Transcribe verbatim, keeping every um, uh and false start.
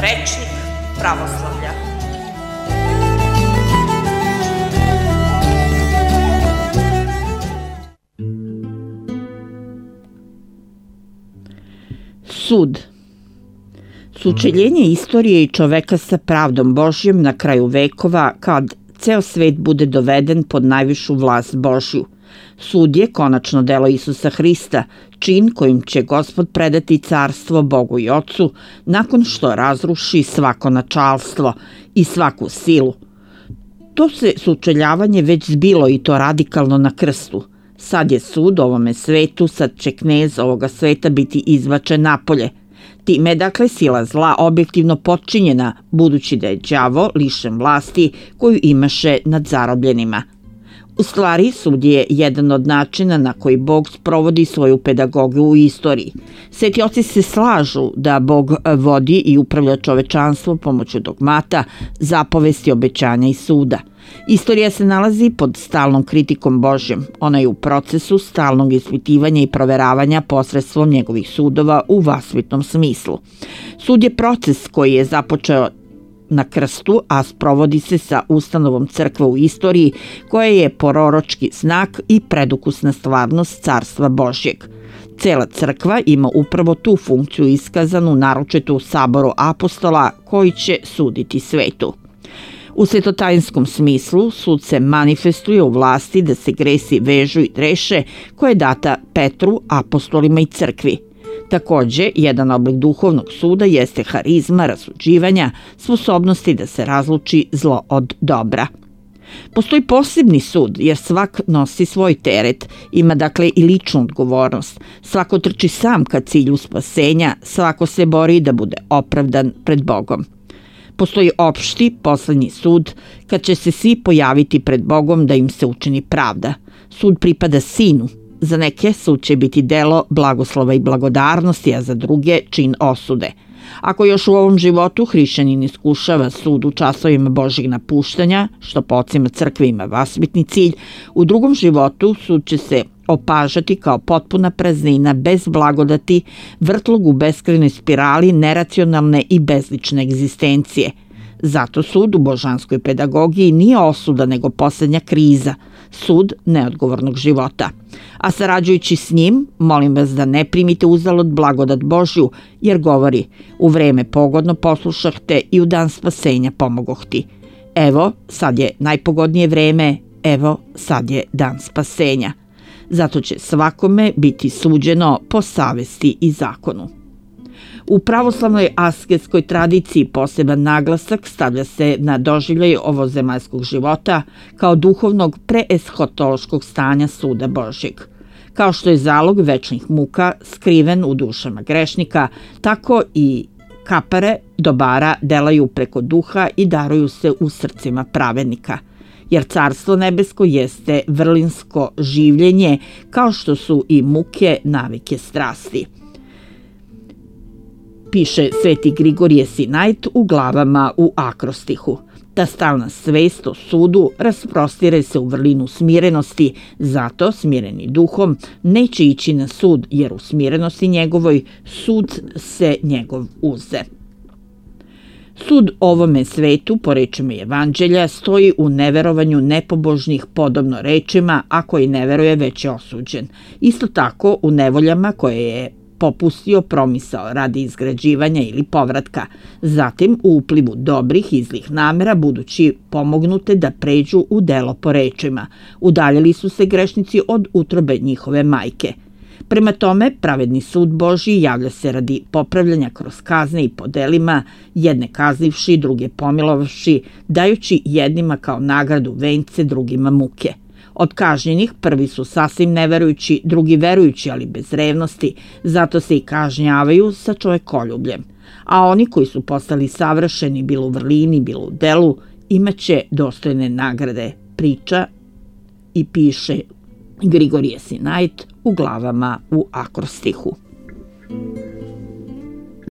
Rečnik pravoslavlja. Sud. Sučeljenje istorije i čoveka sa pravdom Božjom na kraju vekova, kad ceo svet bude doveden pod najvišu vlast Božju. Sud je konačno delo Isusa Hrista, čin kojim će Gospod predati carstvo Bogu i Ocu nakon što razruši svako načalstvo i svaku silu. To se sučeljavanje već zbilo i to radikalno na krstu. Sad je sud ovome svetu, sad će knez ovoga sveta biti izbačen napolje. Time je dakle sila zla objektivno potčinjena, budući da je đavo lišen vlasti koju imaše nad zarobljenima. U stvari, sud je jedan od načina na koji Bog sprovodi svoju pedagogiju u istoriji. Sveti oci se slažu da Bog vodi i upravlja čovečanstvo pomoću dogmata, zapovesti, obećanja i suda. Istorija se nalazi pod stalnom kritikom Božjom. Ona je u procesu stalnog ispitivanja i proveravanja posredstvom njegovih sudova u vaspitnom smislu. Sud je proces koji je započeo na krstu, a sprovodi se sa ustanovom crkve u istoriji, koja je proročki znak i predukusna stvarnost carstva Božjeg. Cela crkva ima upravo tu funkciju iskazanu naročito u saboru apostola koji će suditi svetu. U svetotajinskom smislu sud se manifestuje u vlasti da se gresi vežu i reše koja je data Petru, apostolima i crkvi. Takođe, jedan oblik duhovnog suda jeste harizma rasuđivanja, sposobnosti da se razluči zlo od dobra. Postoji posebni sud jer svak nosi svoj teret, ima dakle i ličnu odgovornost. Svako trči sam ka cilju spasenja, svako se bori da bude opravdan pred Bogom. Postoji opšti, poslednji sud, kad će se svi pojaviti pred Bogom da im se učini pravda. Sud pripada sinu. Za neke sud će biti delo blagoslova i blagodarnosti, a za druge čin osude. Ako još u ovom životu hrišćanin iskušava sud u časovima Božjeg napuštanja, što po ocima crkve ima vaspitni cilj, u drugom životu sud će se opažati kao potpuna praznina bez blagodati, vrtlog u beskrajnoj spirali neracionalne i bezlične egzistencije. Zato sud u božanskoj pedagogiji nije osuda nego poslednja kriza, sud neodgovornog života. A sarađujući s njim, molim vas da ne primite uzalud blagodat Božju, jer govori: u vreme pogodno poslušah te i u dan spasenja pomogoh ti. Evo, sad je najpogodnije vreme, evo, sad je dan spasenja. Zato će svakome biti suđeno po savesti i zakonu. U pravoslavnoj asketskoj tradiciji poseban naglasak stavlja se na doživljaj ovozemaljskog života kao duhovnog preeshotološkog stanja suda Božjeg. Kao što je zalog večnih muka skriven u dušama grešnika, tako i kapare dobara delaju preko duha i daruju se u srcima pravednika. Jer carstvo nebesko jeste vrlinsko življenje, kao što su i muke navike strasti. Piše sveti Grigorije Sinajt u glavama u akrostihu. Ta stalna svest o sudu rasprostire se u vrlinu smirenosti, zato smireni duhom neće ići na sud, jer u smirenosti njegovoj sud se njegov uze. Sud ovome svetu, po rečima Evanđelja, stoji u neverovanju nepobožnih podobno rečima, a koji ne veruje već je osuđen. Isto tako u nevoljama koje je popustio promisao radi izgrađivanja ili povratka, zatim u uplivu dobrih i zlih namera budući pomognute da pređu u delo po rečima. Udaljili su se grešnici od utrobe njihove majke. Prema tome, pravedni sud Božji javlja se radi popravljanja kroz kazne i po delima, jedne kaznivši, druge pomilovši, dajući jednima kao nagradu vence, drugima muke. Od kažnjenih prvi su sasvim neverujući, drugi verujući, ali bez revnosti, zato se i kažnjavaju sa čovekoljubljem. A oni koji su postali savršeni, bilo u vrlini, bilo u delu, imaće dostojne nagrade, priča i piše Grigorije Sinajt u glavama u akrostihu.